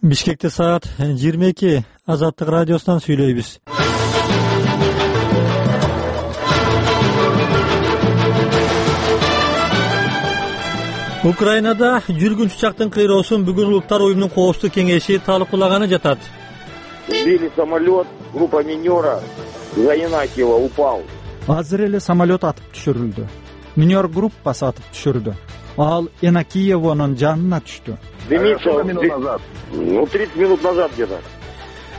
Бишкекте саат 22. Азаттык радиосунан сүйлөйбүз. Украинада жүргүн учактын кыйроосун бүгүн Улуттар уюмунун коопсуздук кеңеши талкуулаганы жатат. Сбили самолет, группа минера за Янакиева упал. Азыр эле самолет атып түшүрүлдү. Минер группасы атып түшүрдү. Ал Янакиевонун жанына түштү. Дымится 30 минут назад где-то.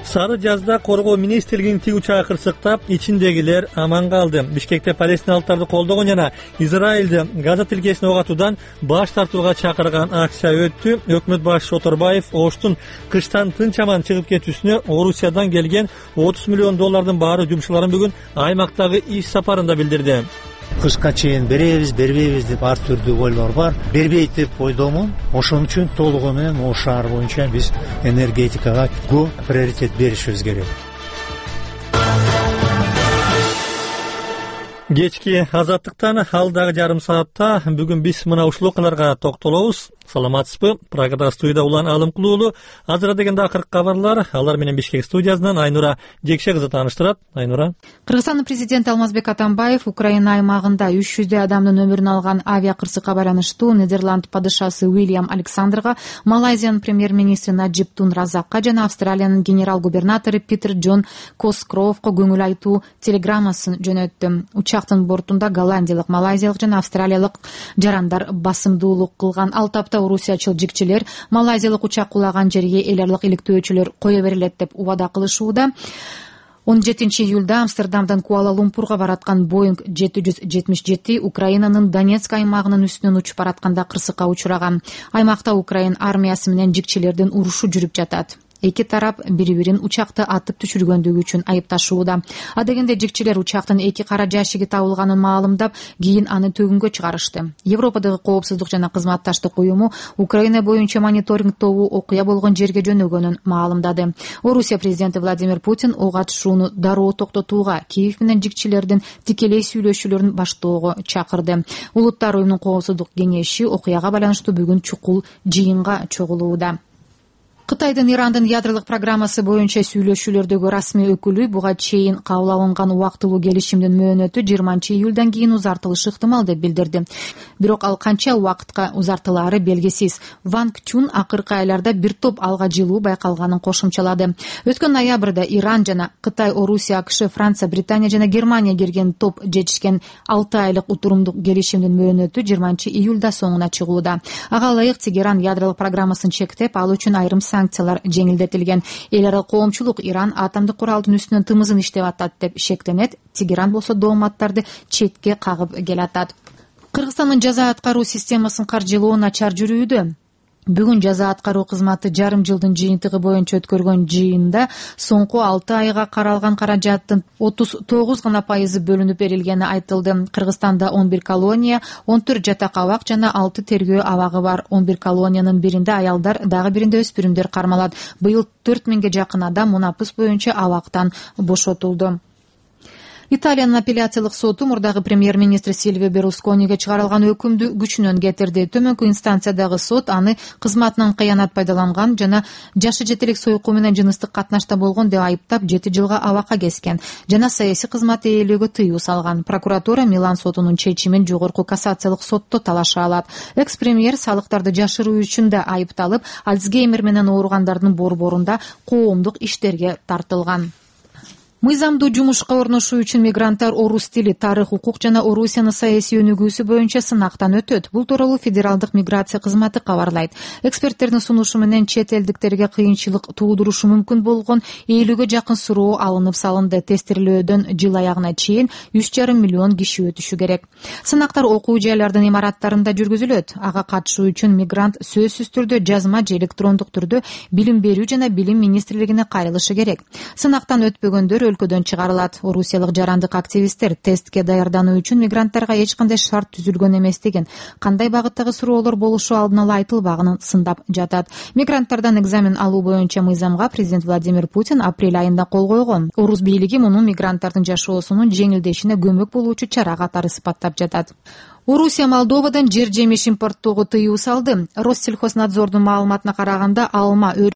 Сары жазда коргоо министрлигинин тиг учагы кырсыктап, ичиндегилер аман калды. Бишкекте палестиналыктарды колдогон жана Израилди Газа тилкесине ок атуудан баш тартууга чакырган акция өттү. Өкмөт башчысы Оторбаев Оштун кыштан тынч аман чыгып кетүүсүнө Орусиядан келген $30 миллион баары жумушчуларын бүгүн аймактагы иш сапарында билдирди. Кышка чейин беребиз, бербейбиз деп ар түрдүү ойлор бар. Бербейт деп ойдомун. Ошон үчүн толугу менен о шаар боюнча биз энергетикага көп приоритет беришибиз керек. Кечки азаттыктан алдагы жарым саатта бүгүн биз мына ушул окуяларга токтолобуз. Саламатсызбы? Программада студияда Улан Алымкулуулу. Азыр дегенде акыркы кабарлар. Алар менен Бишкек студиясынан Айнура Жекше кызы тааныштырат. Айнура. Кыргызстандын президенти Алмазбек Атамбаев Украина аймагында 300 адамдын өмүрүн алган авиа кырсыкка байланыштуу Нидерланд падышасы Уильям Александрга, Малайзиянын премьер-министри Наджиб Тун Разакка жана Австралиянын генерал-губернатору Питер Джон Коскроовго көңүл айтуу телеграммасын жөнөттү. Учактын бортунда голландиялык, малайзиялык жана австралиялык жарандар басымдуулук кылган. Ал тапта орусиячыл жикчилер малайзиялык учак кулаган жерге эл аралык иликтөөчүлөр кое берилет деп убада кылышууда. 17 июлда Амстердамдан Куала-Лумпурга бараткан Боинг 777 Украинанын Донецк аймагынын үстүнөн учуп баратканда кырсыкка учураган. Аймакта Украин армиясы менен жикчилердин урушу жүрүп жатат. Эки тарап бири-бирин учакты атып түшүргөндүгү үчүн айыпташууда. Адегенде жикчилер учактын эки кара жашиги табылганын маалымдап, кийин аны төгүнгө чыгарышты. Европадагы коопсуздук жана кызматташтык уюму Украина боюнча мониторинг тобу окуя болгон жерге жөнөгөнүн маалымдады. Орусия президенти Владимир Путин ок атышууну дароо токтотууга, Киев менен жикчилердин тикелей сүйлөшүүлөрүн баштоого чакырды. Улуттар уюмунун коопсуздук кеңеши окуяга байланыштуу бүгүн чукул жыйынга чогулууда. Кытайдын Ирандын ядролук программасы боюнча сүйлөшүүлөрдөгү расмий өкүлү буга чейин кабыл алынган убактылуу келишимдин мөөнөтү 20 июлдан кийин узартылышы ыктымал деп билдирди. Бирок ал канча убакытка узартылаары белгисиз. Ван Чун акыркы айларда бир топ алга жылуу байкалганын кошумчалады. Өткөн ноябрда Иран жана Кытай, Орусия, АКШ, Франция, Британия жана Германия кирген топ жетишкен 6 айлык утурумдук келишимдин мөөнөтү 20 июлда соңуна чыгууда. Ага ылайык Тегеран ядролук программасын чектеп, ал үчүн айрым санкциялар жеңилдетилген. Эл аралык коомчулук Иран атомдук куралдын үстүнөн тымызын иштеп атат деп шектенет. Тегеран болсо дооматтарды четке кагып келатат. Кыргызстандын жаза аткаруу системасын каржылоо начар жүрүүдө. Бүгүн жаза аткаруу кызматы жарым жылдын жыйынтыгы боюнча өткөргөн жыйында соңку 6 айга каралган каражаттын 39% бөлүнүп берилгени айтылды. Кыргызстанда 11 колония, 14 жатак абак жана 6 тергөө абагы бар. 11 колониянын биринде аялдар, дагы биринде өспүрүмдөр кармалат. Быйыл 4000ге жакын адам мунапыс боюнча абактан бошотулду. Италиянын апелляциялык соту мурдагы премьер-министр Сильвио Берлускониге чыгарылган өкүмдү күчүнөн кетирди. Төмөнкү инстанциядагы сот аны кызматынан кыянат пайдаланган жана жашы жетелик союкку менен жыныстык катнашта болгон деп айыптап 7 жылга абакка кескен жана саясий кызмат ээлөөгө тыюу салган. Прокуратура Милан сотунун чечимин жогорку кассациялык сотто талаша алат. Экс-премьер салыктарды жашыруу үчүн да айыпталып, Альцгеймер менен ооругандардын борборунда коомдук иштерге тартылган. Мыйзамдуу жумушка орношуу үчүн мигранттар орус тили, тарых, укук жана Орусиянын саясий өнүгүүсү боюнча сынактан өтөт. Бул тууралуу Федералдык миграция кызматы кабарлайт. Эксперттердин сунушу менен чет элдиктерге кыйынчылык туудурушу мүмкүн болгон 50ге жакын суроо алынып салынды. Тестирлөөдөн жыл аягына чейин 3,5 миллион киши өтүшү керек. Сынактар окуу жайлардын имараттарында жүргүзүлөт. Ага катышуу үчүн мигрант сөзсүз түрдө жазма же электрондук түрдө билим берүү жана билим министрлигине кайрылышы керек. Сынактан өтпөгөндөр өлкөдөн чыгарылат. Орусиялык жарандык активисттер тестке даярдануу үчүн мигранттарга эч кандай шарт түзүлгөн эмес деген, кандай багыттагы суроолор болушу алдын ала айтылбаганын сындап жатат. Мигранттардан экзамен алуу боюнча мыйзамга президент Владимир Путин апрель айында кол койгон. Орус бийлиги муну мигранттардын жашоосунун жеңилдешине көмөк болуучу чара катары сыпаттап жатат. Орусия Молдовадан жер жемиш импорттоого тыюу салды. Россельхознадзордун маалыматына караганда, алма,